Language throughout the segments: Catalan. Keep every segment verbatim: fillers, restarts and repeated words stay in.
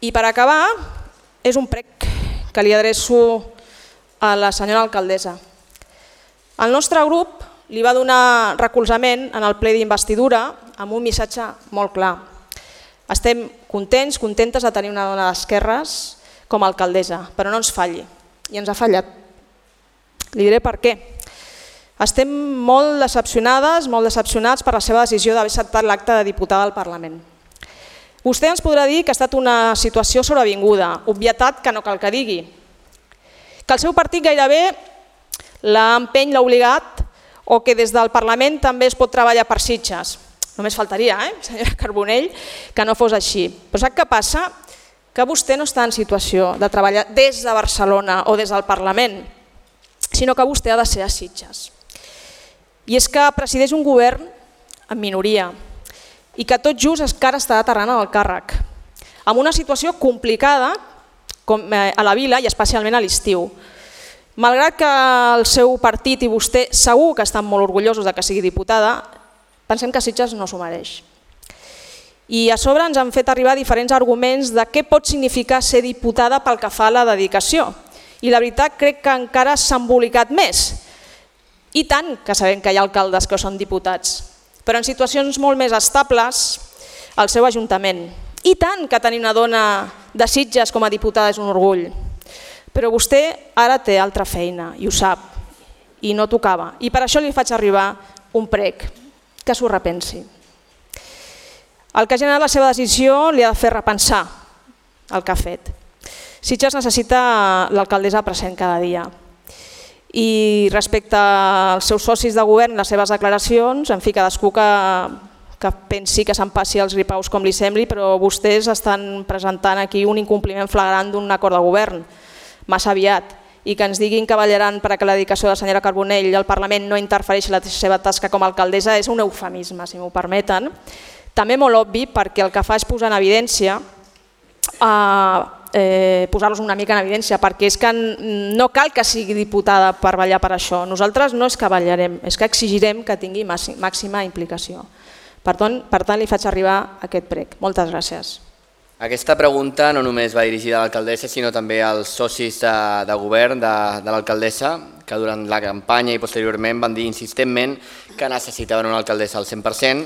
I per acabar, és un prec que li adreço a la senyora alcaldessa. El nostre grup li va donar recolzament en el ple d'investidura amb un missatge molt clar. Estem contents, contentes de tenir una dona d'esquerres com a alcaldessa, però no ens falli. I ens ha fallat. Li diré per què. Estem molt decepcionades, molt decepcionats per la seva decisió d'haver acceptat l'acte de diputada al Parlament. Vostè ens podrà dir que ha estat una situació sobrevinguda, obvietat que no cal que digui, que el seu partit gairebé l'ha empeny, l'ha obligat, o que des del Parlament també es pot treballar per Sitges. Només faltaria, eh, senyora Carbonell, que no fos així. Però sap què passa? Que vostè no està en situació de treballar des de Barcelona o des del Parlament, sinó que vostè ha de ser a Sitges. I és que presideix un govern en minoria i que tot just encara està aterrant en el càrrec, amb una situació complicada a la vila i especialment a l'estiu. Malgrat que el seu partit i vostè segur que estan molt orgullosos de que sigui diputada, pensem que Sitges no s'ho mereix. I a sobre ens han fet arribar diferents arguments de què pot significar ser diputada pel que fa a la dedicació. I la veritat crec que encara s'ha embolicat més. I tant que sabem que hi ha alcaldes que són diputats, però en situacions molt més estables al seu ajuntament. I tant que tenir una dona de Sitges com a diputada és un orgull. Però vostè ara té altra feina i ho sap, i no tocava. I per això li faig arribar un prec, que s'ho repensi. El que ha generat la seva decisió li ha de fer repensar el que ha fet. Sitges necessita l'alcaldessa present cada dia. I respecte als seus socis de govern, les seves declaracions, en fi, cadascú que, que pensi que s'empassi els gripaus com li sembli, però vostès estan presentant aquí un incompliment flagrant d'un acord de govern, massa aviat, i que ens diguin que ballaran perquè la dedicació de la senyora Carbonell al Parlament no interfereixi en la seva tasca com a alcaldessa és un eufemisme, si m'ho permeten. També molt obvi perquè el que fa és posar en evidència, eh, eh, posar-los una mica en evidència, perquè és que no cal que sigui diputada per ballar per això. Nosaltres no és que ballarem, és que exigirem que tingui màxima implicació. Per tant, per tant li faig arribar aquest prec. Moltes gràcies. Aquesta pregunta no només va dirigida a l'alcaldessa, sinó també als socis de, de govern de, de l'alcaldessa, que durant la campanya i posteriorment van dir insistentment que necessitaven una alcaldessa al cent per cent,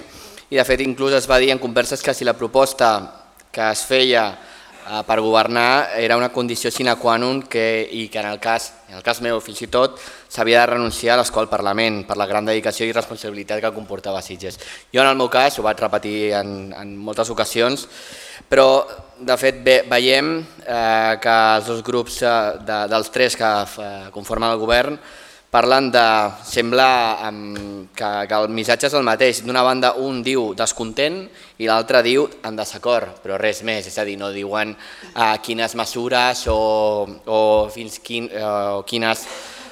i de fet inclús es va dir en converses que si la proposta que es feia eh, per governar era una condició sine qua non que, i que en el cas, en el cas meu fins i tot s'havia de renunciar a l'escó al Parlament per la gran dedicació i responsabilitat que comportava Sitges. Jo en el meu cas ho vaig repetir en, en moltes ocasions, però de fet ve, veiem eh, que els dos grups eh, de, dels tres que eh, conformen el govern parlen de, sembla um, que, que el missatge és el mateix. D'una banda un diu descontent i l'altre diu en desacord, però res més, és a dir, no diuen uh, quines mesures o, o fins quin, uh, quines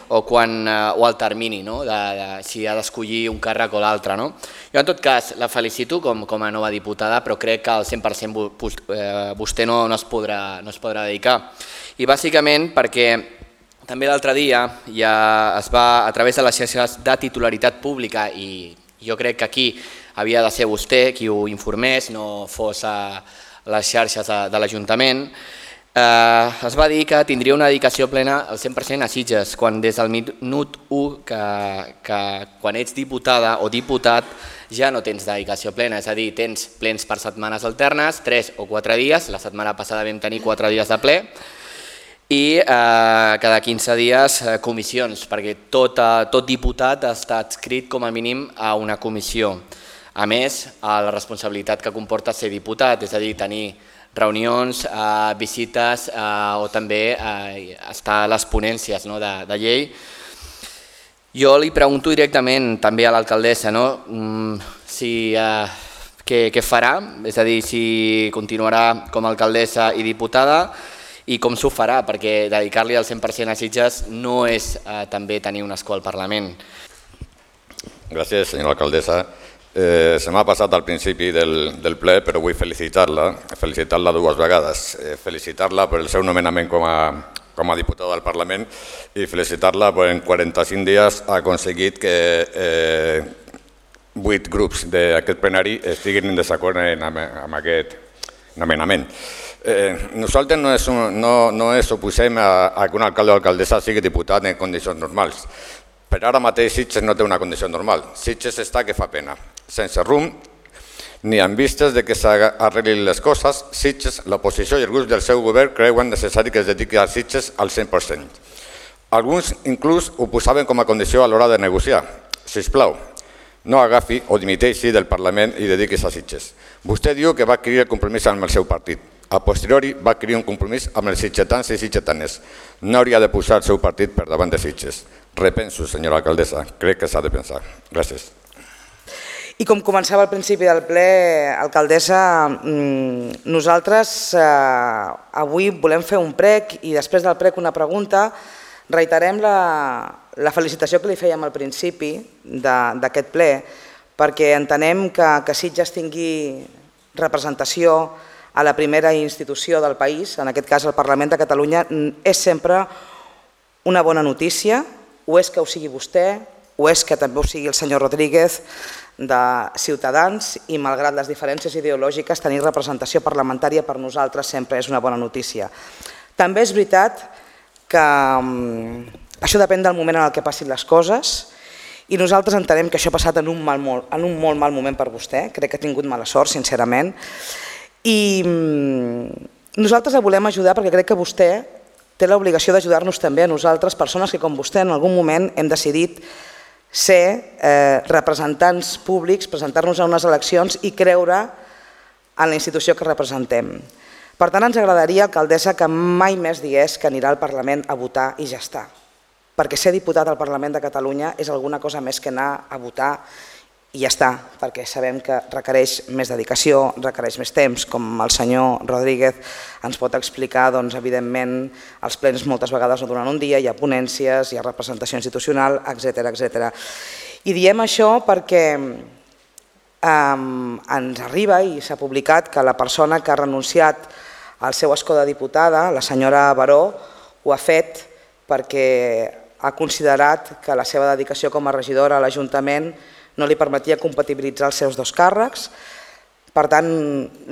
o, quan, uh, o el termini, no? de, de, si ha d'escollir un càrrec o l'altre. No? Jo en tot cas la felicito com, com a nova diputada, però crec que al cent per cent vostè no, no, es podrà, no es podrà dedicar. I bàsicament perquè també l'altre dia ja es va, a través de les xarxes de titularitat pública, i jo crec que aquí havia de ser vostè qui ho informés, no fos a les xarxes de, de l'Ajuntament, eh, es va dir que tindria una dedicació plena al cent per cent a Sitges, quan des del minut u, que, que quan ets diputada o diputat ja no tens dedicació plena, és a dir, tens plens per setmanes alternes, tres o quatre dies, la setmana passada vam tenir quatre dies de ple, i eh, cada quinze dies eh, comissions, perquè tot, eh, tot diputat està adscrit com a mínim a una comissió. A més, a la responsabilitat que comporta ser diputat, és a dir, tenir reunions, eh, visites eh, o també eh, estar a les ponències, no, de, de llei. Jo li pregunto directament també a l'alcaldessa, no, si, eh, què, què farà, és a dir, si continuarà com a alcaldessa i diputada, i com s'ho farà, perquè dedicar-li al cent per cent a Sitges no és eh, també tenir un escó al Parlament. Gràcies, senyora alcaldessa. Eh, se m'ha passat al principi del, del ple, però vull felicitar-la, felicitar-la dues vegades. Eh, felicitar-la per el seu nomenament com a, com a diputada del Parlament i felicitar-la perquè en quaranta-cinc dies ha aconseguit que eh, vuit grups d'aquest plenari estiguin en desacord en, amb aquest nomenament. Nosaltres no ens oposem a que un alcalde o alcaldessa sigui diputat en condicions normals. Per ara mateix Sitges no té una condició normal. Sitges està que fa pena. Sense rumb, ni amb vistes de que s'arreglin les coses, Sitges, l'oposició i els grups del seu govern creuen necessari que es dediqui a Sitges al cent per cent. Alguns inclús ho posaven com a condició a l'hora de negociar. Sisplau, no agafi o dimiteixi del Parlament i dediquis a Sitges. Vostè diu que va adquirir el compromís amb el seu partit. A posteriori va adquirir un compromís amb els sitgetans i sitgetanes. No hauria de posar el seu partit per davant de Sitges. Repenso, senyora alcaldessa, crec que s'ha de pensar. Gràcies. I com començava al principi del ple, alcaldessa, nosaltres avui volem fer un prec i després del prec una pregunta. Reiterem la felicitació que li fèiem al principi d'aquest ple perquè entenem que Sitges tingui representació a la primera institució del país, en aquest cas el Parlament de Catalunya, és sempre una bona notícia, o és que ho sigui vostè, o és que també ho sigui el senyor Rodríguez de Ciutadans i malgrat les diferències ideològiques tenir representació parlamentària per nosaltres sempre és una bona notícia. També és veritat que això depèn del moment en el que passin les coses i nosaltres entenem que això ha passat en un molt mal moment per vostè, crec que ha tingut mala sort, sincerament, i nosaltres la volem ajudar perquè crec que vostè té l'obligació d'ajudar-nos també a nosaltres, persones que com vostè en algun moment hem decidit ser representants públics, presentar-nos a unes eleccions i creure en la institució que representem. Per tant, ens agradaria, alcaldessa, que mai més digués que anirà al Parlament a votar i ja està. Perquè ser diputat al Parlament de Catalunya és alguna cosa més que anar a votar i ja està, perquè sabem que requereix més dedicació, requereix més temps, com el senyor Rodríguez ens pot explicar, doncs evidentment els plens moltes vegades no duren un dia, hi ha ponències, hi ha representació institucional, etcètera, etcètera. I diem això perquè ens arriba i s'ha publicat que la persona que ha renunciat al seu escó de diputada, la senyora Baró, ho ha fet perquè ha considerat que la seva dedicació com a regidora a l'Ajuntament no li permetia compatibilitzar els seus dos càrrecs. Per tant,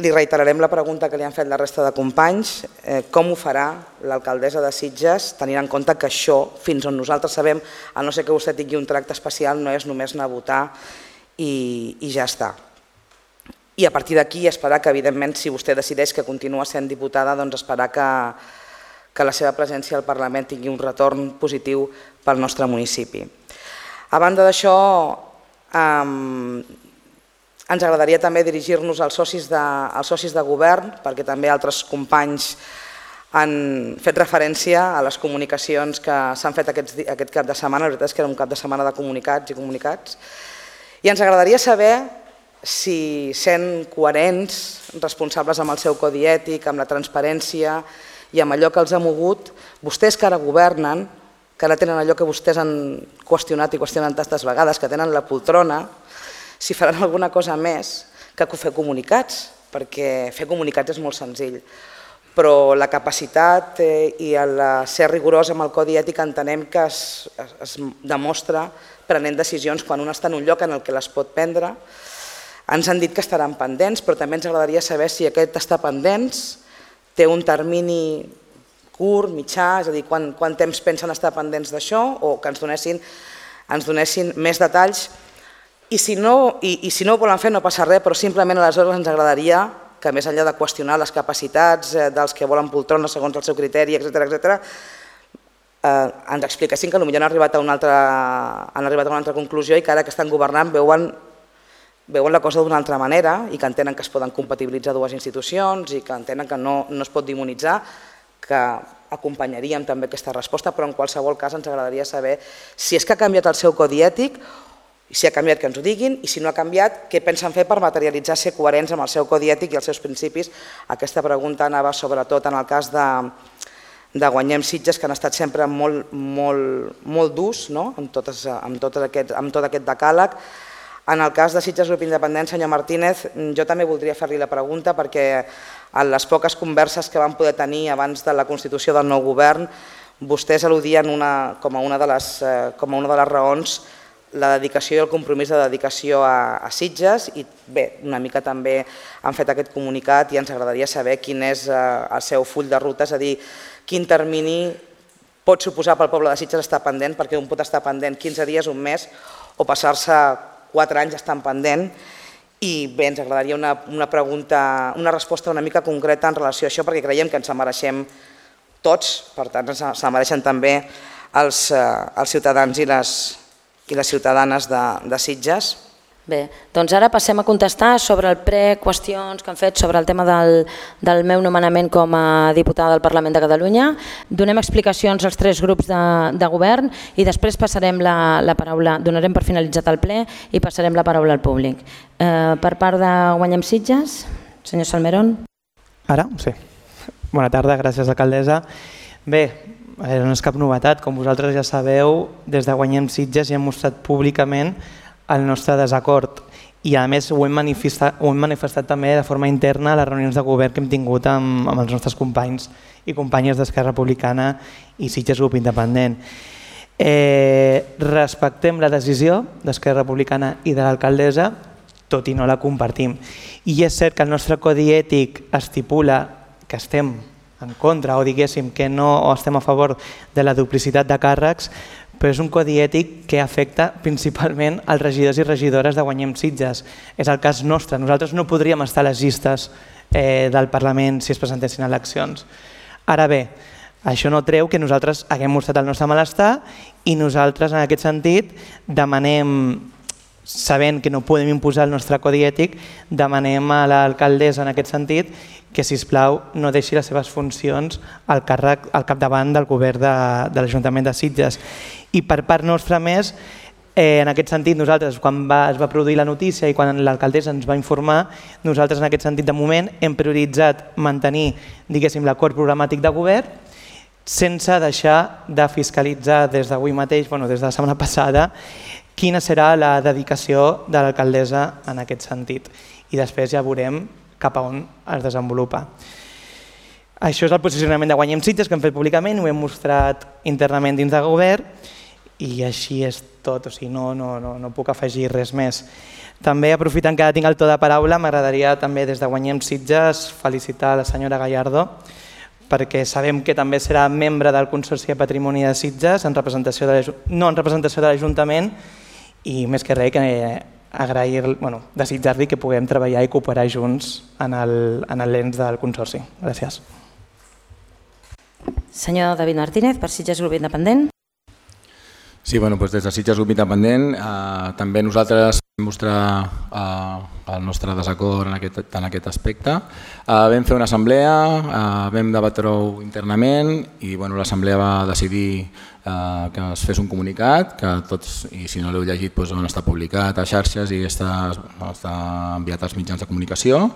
li reiterarem la pregunta que li han fet la resta de companys. Com ho farà l'alcaldessa de Sitges, tenint en compte que això, fins on nosaltres sabem, a no ser que vostè tingui un tracte especial, no és només anar a votar i ja està. I a partir d'aquí esperar que, evidentment, si vostè decideix que continua sent diputada, doncs esperar que la seva presència al Parlament tingui un retorn positiu pel nostre municipi. A banda d'això, ens agradaria també dirigir-nos als socis de govern, perquè també altres companys han fet referència a les comunicacions que s'han fet aquest cap de setmana. La veritat és que era un cap de setmana de comunicats i comunicats. I ens agradaria saber si, sent coherents, responsables amb el seu codi ètic, amb la transparència i amb allò que els ha mogut, vostès que ara governen, que ara tenen allò que vostès han qüestionat i qüestionen tantes vegades, que tenen la poltrona, si faran alguna cosa més que fer comunicats, perquè fer comunicats és molt senzill. Però la capacitat i el ser rigorós amb el codi ètic entenem que es demostra prenent decisions quan un està en un lloc en el que les pot prendre. Ens han dit que estaran pendents, però també ens agradaria saber si aquest està pendents té un termini curt, mitjà, és a dir, quant temps pensen estar pendents d'això o que ens donessin més detalls. I si no ho volen fer no passa res, però simplement aleshores ens agradaria que més enllà de qüestionar les capacitats dels que volen poltrona segons el seu criteri, etcètera, ens expliquessin que potser han arribat a una altra conclusió i que ara que estan governant veuen la cosa d'una altra manera i que entenen que es poden compatibilitzar dues institucions i que entenen que no es pot demonitzar, que acompanyaríem també aquesta resposta, però en qualsevol cas ens agradaria saber si és que ha canviat el seu codi ètic, si ha canviat que ens ho diguin i si no ha canviat què pensen fer per materialitzar ser coherents amb el seu codi ètic i els seus principis. Aquesta pregunta anava sobretot en el cas de Guanyem Sitges, que han estat sempre molt durs amb tot aquest decàleg. En el cas de Sitges Grup Independent, senyor Martínez, jo també voldria fer-li la pregunta perquè en les poques converses que vam poder tenir abans de la constitució del nou govern, vostès al·ludien com a una de les raons la dedicació i el compromís de dedicació a Sitges i bé, una mica també han fet aquest comunicat i ens agradaria saber quin és el seu full de ruta, és a dir, quin termini pot suposar pel poble de Sitges estar pendent, perquè un pot estar pendent quinze dies, un mes, o passar-se quatre anys estant pendent. I bé, ens agradaria una pregunta, una resposta una mica concreta en relació a això, perquè creiem que ens mereixem tots, per tant, ens mereixen també els ciutadans i les ciutadanes de Sitges. Bé, doncs ara passem a contestar sobre el pre-qüestions que han fet sobre el tema del meu nomenament com a diputada del Parlament de Catalunya. Donem explicacions als tres grups de govern i després passarem la paraula, donarem per finalitzat el ple i passarem la paraula al públic. Per part de Guanyem Sitges, senyor Salmerón. Ara? Sí. Bona tarda, gràcies alcaldessa. Bé, no és cap novetat, com vosaltres ja sabeu, des de Guanyem Sitges ja hem mostrat públicament el nostre desacord i a més ho hem manifestat, ho hem manifestat també de forma interna a les reunions de govern que hem tingut amb, amb els nostres companys i companyes d'Esquerra Republicana i Sitges Grup Independent. Eh, respectem la decisió d'Esquerra Republicana i de l'alcaldessa, tot i no la compartim. I és cert que el nostre codi ètic estipula que estem en contra o diguéssim que no estem a favor de la duplicitat de càrrecs, però és un codi ètic que afecta principalment els regidors i regidores de Guanyem Sitges. És el cas nostre. Nosaltres no podríem estar a les llistes del Parlament si es presentessin eleccions. Ara bé, això no treu que nosaltres haguem mostrat el nostre malestar i nosaltres en aquest sentit demanem, sabent que no podem imposar el nostre codi ètic, demanem a l'alcaldessa en aquest sentit que, sisplau, no deixi les seves funcions al càrrec al capdavant del govern de l'Ajuntament de Sitges. I per part nostra més, en aquest sentit, nosaltres, quan es va produir la notícia i quan l'alcaldessa ens va informar, nosaltres en aquest sentit, de moment, hem prioritzat mantenir, diguéssim, l'acord programàtic de govern sense deixar de fiscalitzar des d'avui mateix, bueno, des de la setmana passada, quina serà la dedicació de l'alcaldessa en aquest sentit. I després ja veurem cap a on es desenvolupa. Això és el posicionament de Guanyem Sitges que hem fet públicament, ho hem mostrat internament dins del govern i així és tot, o sigui, no, no, no, no puc afegir res més. També, aprofitant que tinc el to de paraula, m'agradaria també des de Guanyem Sitges felicitar la senyora Gallardo perquè sabem que també serà membre del Consorci de Patrimoni de Sitges, en representació de no en representació de l'Ajuntament i més que res que agrair, bueno, desitjar-li que puguem treballar i cooperar junts en l'ens del Consorci. Gràcies. Senyor David Martínez, per Sitges Grup Independent. Sí, bueno, doncs des de Sitges Grup Independent eh, també nosaltres vam mostrar eh, el nostre desacord en aquest, en aquest aspecte. Eh, vam fer una assemblea, eh, vam debatre-ho internament i bueno, l'assemblea va decidir eh, que es fes un comunicat, que tots, i si no l'heu llegit, doncs, on està publicat a xarxes i està, està enviat als mitjans de comunicació.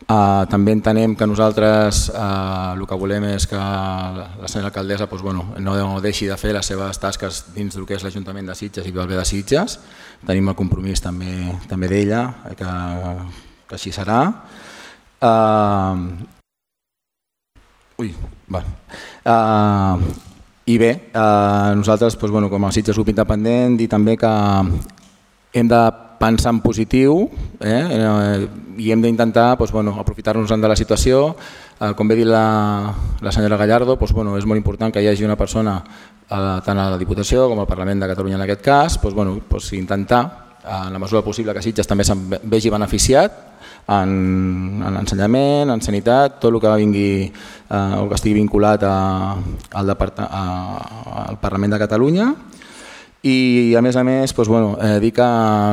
Uh, també entenem que nosaltres uh, el que volem és que la senyora alcaldessa doncs, bueno, no deixi de fer les seves tasques dins del que és l'Ajuntament de Sitges i del bé de Sitges. Tenim el compromís també, també d'ella, que, que així serà. Uh, ui, va. Uh, I bé, uh, nosaltres doncs, bueno, com a Sitges Grup Independent dir també que hem de pensar en positiu eh, i hem d'intentar doncs, bueno, aprofitar-nos de la situació. Eh, com bé dit la, la senyora Gallardo, doncs, bueno, és molt important que hi hagi una persona eh, tant a la Diputació com al Parlament de Catalunya en aquest cas, doncs, bueno, doncs, intentar en la mesura possible que Sitges també se'n vegi beneficiat en, en ensenyament, en sanitat, tot el que vingui eh, o que estigui vinculat a, al, a, al Parlament de Catalunya. I a més a més doncs, bueno, eh, dir que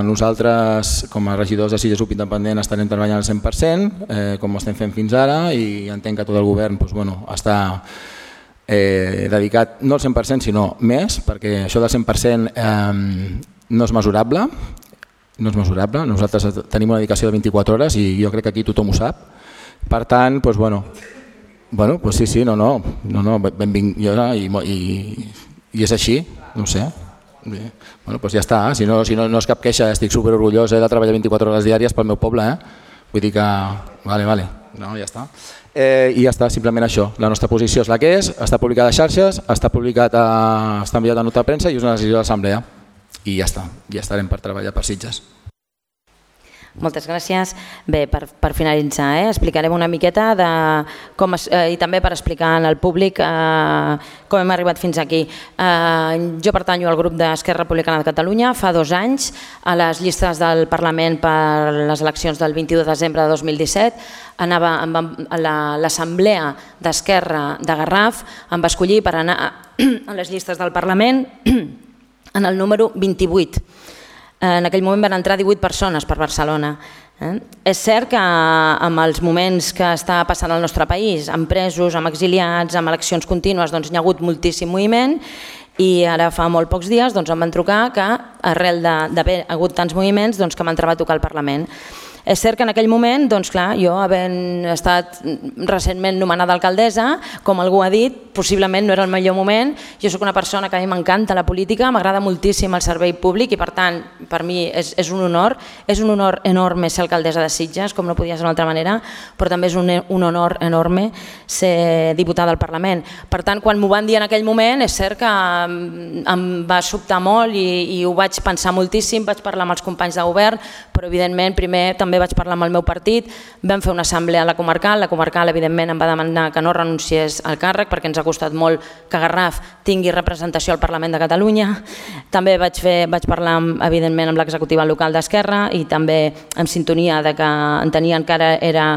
nosaltres com a regidors de Sitges Grup Independent estarem treballant al cent per cent eh, com ho estem fent fins ara i entenc que tot el govern doncs, bueno, està eh, dedicat no al cent per cent sinó més, perquè això del cent per cent eh, no és mesurable, no és mesurable. Nosaltres tenim una dedicació de vint-i-quatre hores i jo crec que aquí tothom ho sap. Per tant, doncs, bueno, bueno, doncs sí, sí, no, no, no, no benvingut i, i, i és així, no ho sé. Bé. Bueno, doncs ja està, si no, si no, no és cap queixa, estic superorgullós eh, de treballar vint-i-quatre hores diàries pel meu poble, eh? Vull dir que... Vale, vale, no, ja està. Eh, I ja està, simplement això, la nostra posició és la que és, està publicada a xarxes, està publicat a, està enviat a nota de premsa i és una decisió de l'assemblea. i ja està, ja estarem per treballar per Sitges. Moltes gràcies. Bé, per, per finalitzar, eh, explicarem una miqueta de com es, eh, i també per explicar al públic eh, com hem arribat fins aquí. Eh, jo pertanyo al grup d'Esquerra Republicana de Catalunya fa dos anys a les llistes del Parlament per les eleccions del vint-i-u de desembre de dos mil disset. Anava a l'Assemblea d'Esquerra de Garraf, em va escollir per anar a les llistes del Parlament en el número vint-i-vuit. En aquell moment van entrar divuit persones per Barcelona. És cert que amb els moments que està passant al nostre país, amb presos, amb exiliats, amb eleccions contínues, doncs hi ha hagut moltíssim moviment i ara fa molt pocs dies em van trucar que arrel d'haver hagut tants moviments que m'entrava a tocar al Parlament. És cert que en aquell moment, doncs clar, jo havent estat recentment nomenada alcaldessa, com algú ha dit, possiblement no era el millor moment. Jo soc una persona que a mi m'encanta la política, m'agrada moltíssim el servei públic i per tant, per mi és, és un honor, és un honor enorme ser alcaldessa de Sitges, com no podia ser d'una altra manera, però també és un, un honor enorme ser diputada al Parlament. Per tant, quan m'ho van dir en aquell moment, és cert que em va sobtar molt i, i ho vaig pensar moltíssim, vaig parlar amb els companys de govern, però evidentment primer també vaig parlar amb el meu partit, vam fer una assemblea a la comarcal, la comarcal evidentment em va demanar que no renunciés al càrrec perquè ens ha costat molt que Garraf tingui representació al Parlament de Catalunya. També vaig, fer, vaig parlar amb, evidentment amb l'executiva local d'Esquerra i també en sintonia de que entenien que ara era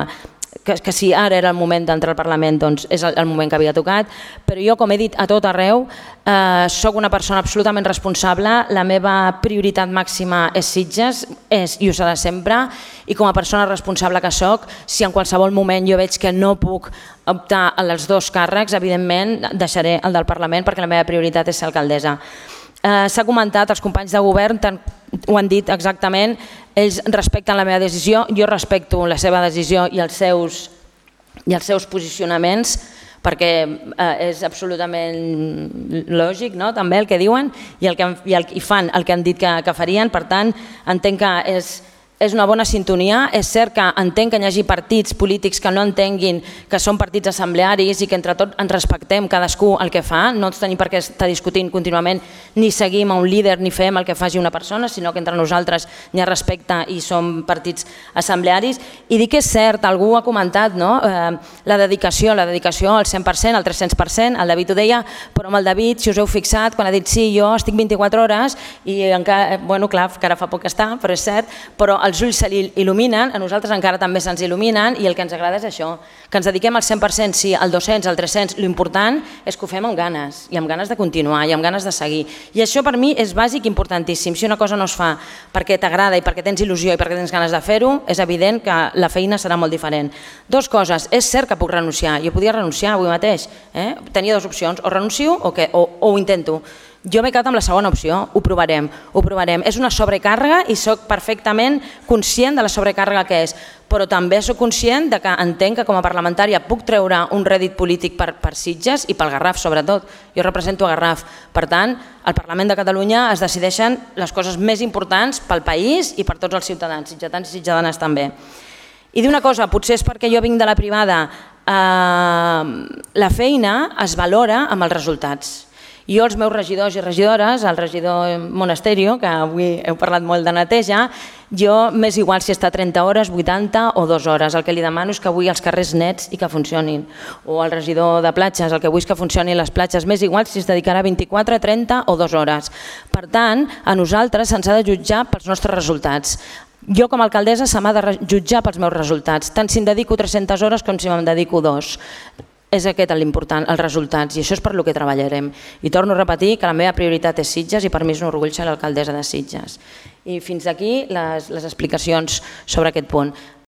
Que, que si ara era el moment d'entrar al Parlament, doncs és el, el moment que havia tocat, però jo, com he dit a tot arreu, eh, soc una persona absolutament responsable, la meva prioritat màxima és Sitges, és i ho serà sempre, i com a persona responsable que soc, si en qualsevol moment jo veig que no puc optar als dos càrrecs, evidentment deixaré el del Parlament perquè la meva prioritat és ser alcaldessa. Eh, S'ha comentat, els companys de govern tant, ho han dit exactament, ells respecten la meva decisió, jo respecto la seva decisió i els seus, i els seus posicionaments perquè eh, és absolutament lògic, no? També el que diuen i, el que, i, el, i fan el que han dit que, que farien, per tant entenc que és És una bona sintonia, és cert que entenc que hi hagi partits polítics que no entenguin que són partits assemblearis i que entre tots ens respectem cadascú el que fa, no tenim per què estar discutint contínuament ni seguim a un líder ni fem el que faci una persona, sinó que entre nosaltres hi ha respecte i som partits assemblearis. I dic que és cert, algú ha comentat, no? eh, la dedicació, la dedicació al cent per cent, al tres-cents per cent, el David ho deia, però amb el David, si us heu fixat, quan ha dit sí, jo estic vint-i-quatre hores i encara, bueno, clar, que ara fa poc que està, però és cert, però els ulls se li il·luminen, a nosaltres encara també se'ns il·luminen i el que ens agrada és això, que ens dediquem al cent per cent, sí, al dos-cents, al tres-cents, l'important és que ho fem amb ganes i amb ganes de continuar i amb ganes de seguir. I això per mi és bàsic i importantíssim. Si una cosa no es fa perquè t'agrada i perquè tens il·lusió i perquè tens ganes de fer-ho, és evident que la feina serà molt diferent. Dos coses, és cert que puc renunciar, jo podia renunciar avui mateix, eh? Tenia dues opcions, o renuncio o, que, o, o ho intento. Jo m'he quedat amb la segona opció, ho provarem, ho provarem. És una sobrecàrrega i soc perfectament conscient de la sobrecàrrega que és, però també soc conscient de que entenc que com a parlamentària puc treure un rèdit polític per, per Sitges i pel Garraf sobretot. Jo represento a Garraf. Per tant, al Parlament de Catalunya es decideixen les coses més importants pel país i per tots els ciutadans, sitgetans i sitjadanes també. I dir una cosa, potser és perquè jo vinc de la privada, eh, la feina es valora amb els resultats. Jo, els meus regidors i regidores, el regidor Monasterio, que avui heu parlat molt de neteja, jo m'és igual si està trenta hores, vuitanta o dues hores. El que li demano és que avui els carrers nets i que funcionin. O el regidor de platges, el que vull és que funcionin les platges, m'és igual si es dedicarà vint-i-quatre, trenta o dues hores. Per tant, a nosaltres se'ns ha de jutjar pels nostres resultats. Jo com a alcaldessa se m'ha de jutjar pels meus resultats, tant si em dedico tres-centes hores com si me'n dedico dos. És aquest l'important, els resultats, i això és per lo que treballarem. I torno a repetir que la meva prioritat és Sitges i per mi és un orgull ser l'alcaldessa de Sitges. I fins aquí les, les explicacions sobre aquest punt.